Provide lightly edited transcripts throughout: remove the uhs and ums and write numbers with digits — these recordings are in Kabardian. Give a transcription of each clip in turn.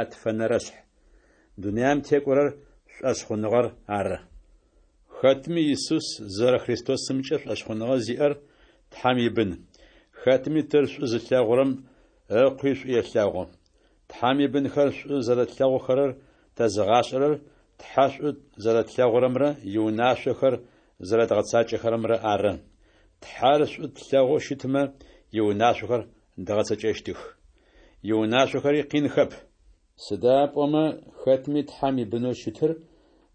Ятфэнэрэшъхь. Дунаем текӏорэр шӏошъхъуныгъэр ары. Хэтми Исус зэрэ Христосымкӏэ шӏошъхъуныгъэ зиӏэр Тхьэм ибын. Хэтми Тыр шӏу зылъэгъурэм Ыкъуи шӏу елъэгъу. Тхьэм ибынхэр шӏу зэрэтлъэгъухэрэр тэзыгъашӏэрэр Тхьэ шӏу зэрэтлъэгъурэмрэ иунашъохэр зэрэдгъэцакӏэхэрэмрэ ары. Тхьэр шӏу тлъэгъоу щытмэ, иунашъохэр дгъэцэкӏэщтых. Иунашъохэри къинхэп. Сыда пӏомэ хэтми Тхьэм ибынэу щытыр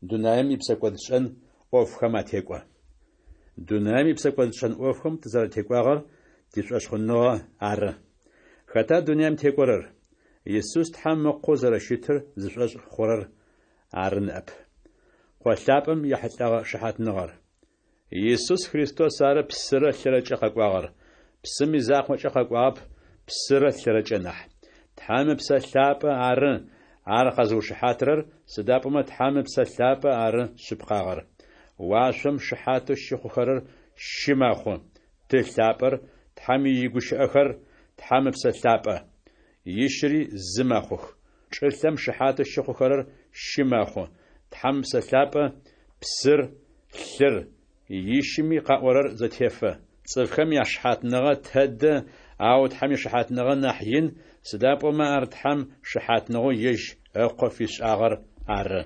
дунаим ипсэкӏодшӏэн ӏофхэм атекӏо. Дунаим ипсэкӏодшӏэн ӏофхэм тызэрэтекӏуагъэр тишӏошъхъуныгъэ ары. Хэта дунаим текӏорэр? Исус Тхьэм Ыкъоу зэрэщытыр зышӏошъ хъурэр ары ныӏэп. Къо лъапӏэм ехьылӏэгъэ шыхьатныгъэр. Исус Христос ары псырэ лъырэкӏэ къэкӏуагъэр. Псым изакъокӏэ къэкӏуагъэп, псырэ лъырэкӏэ нахь. Тхьэм Ыпсэ Лъапӏэ ары ар къэзыушыхьатырэр, сыда пӏомэ Тхьэм Ыпсэ Лъапӏэ ары шъыпкъагъэр. Уашъом шыхьатэу щыхъухэрэр щы мэхъу: Ты лъапӏэр, Тхьэм игущыӏэхэр, Тхьэм Ыпсэ Лъапӏэ. Ищыри зы мэхъух. Чӏылъэм шыхьатэу щыхъухэрэр щы мэхъу: Тхьэм Ыпсэ Лъапӏэ, псыр, лъыр, ищыми къаӏорэр зэтефэ. Цӏыфхэм яшыхьатныгъэ тэдэ, ау Тхьэм ишыхьатныгъэ нахь ин, сыда пӏомэ ар Тхьэм шыхьатныгъэу ежь Ыкъо фишӏагъэр ары.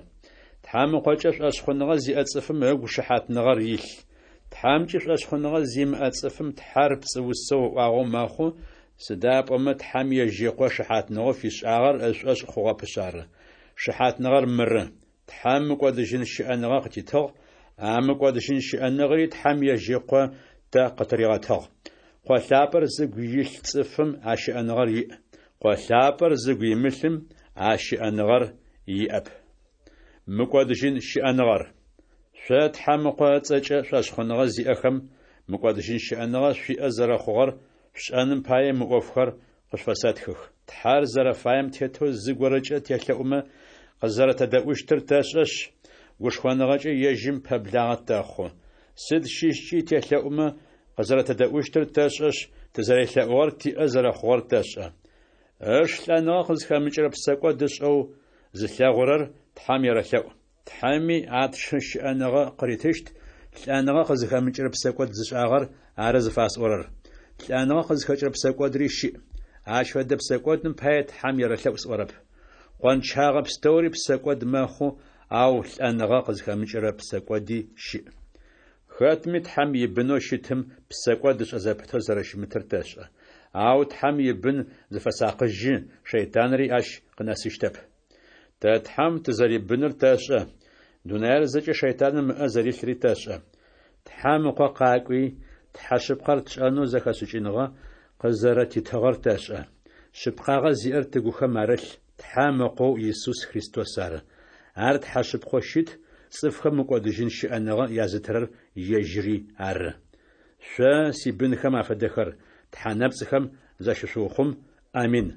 Тхьэм Ыкъокӏэ шӏошъхъуныгъэ зиӏэ цӏыфым ыгу шыхьатныгъэр илъ. Тхьэмкӏи шӏошъхъуныгъэ зимыӏэ цӏыфым Тхьэр пцӏыусэу ыӏуагъэу мэхъу, сыда пӏомэ Тхьэм ежь Ыкъо шыхьатныгъэу фишӏагъэр ышӏошъ хъугъэпышъ ары. Шыхьатныгъэр мыры: Тхьэм мыкӏодыжьын щыӏэныгъэ къытитыгъ, а мыкӏодыжьын щыӏэныгъэри Тхьэм ежь Ыкъо тэ къытыригъэтыгъ. Къо лъапӏэр зыгу илъ цӏыфым а щыӏэныгъэр иӏ. Къо лъапӏэр зыгу имылъым а щыӏэныгъэр иӏэп. Мыкӏодыжьын щыӏэныгъэр. Шъо Тхьэм Ыкъо ыцӏэкӏэ шӏошъхъуныгъэ зиӏэхэм мыкӏодыжьын щыӏэныгъэ шъуиӏэ зэрэхъугъэр шъушӏэным пае мы ӏофхэр къышъуфэсэтхых. Тхьэр зэрэфаем тетэу зыгорэкӏэ телъэӏумэ къызэрэтэдэӏущтыр тэшӏэшъ, гушхоныгъэкӏэ ежьым пэблагъэ тэхъу. Сыд щыщкӏи телъэӏумэ къызэрэтэдэӏущтыр тэшӏэшъ, тызэрелъэӏугъэр тиӏэ зэрэхъугъэр тэшӏэ. Ыш лӏэныгъэ къызхэмыкӏырэ псэкӏод ышӏэу зылъэгъурэр Тхьэм ерэлъэӏу. Тхьэми а тшы щыӏэныгъэ къыритыщт, лӏэныгъэ къызхэмыкӏырэ псэкӏод зышӏагъэр ары зыфасӏорэр. Лӏэныгъэ къызхэкӏырэ псэкӏодри щыӏ. Ащ фэдэ псэкӏодым пае Тхьэм ерэлъэӏу сӏорэп. Къончагъэ пстэури псэкӏод мэхъу, ау лӏэныгъэ къызхэмыкӏырэ псэкӏоди щыӏ. Хэтми Тхьэм ибынэу щытым псэкӏод ышӏэ зэпытэу зэрэщымытыр тэшӏэ. Ау Тхьэм ибын зыфэсакъыжьы, шэйтанри ащ къынэсыщтэп. Тэ Тхьэм тызэрибыныр тэшӏэ, дунаир зэкӏэ шэйтаным ыӏэ зэрилъри тэшӏэ. Тхьэм Ыкъо къакӏуи, Тхьэ шъыпкъэр тшӏэнэу зэхэшӏыкӏыныгъэ къызэрэтитыгъэр тэшӏэ. Шъыпкъагъэ зиӏэр тыгухэм арылъ Тхьэм Ыкъоу Исус Христос ары. Ар Тхьэ шъыпкъэу щыт, цӏыфхэм мыкӏодыжьын щыӏэныгъэ язытырэр ежьыри ары. Шъо сибынхэм афэдэхэр, тхьэ нэпцӏхэм защышъуухъум. Амин.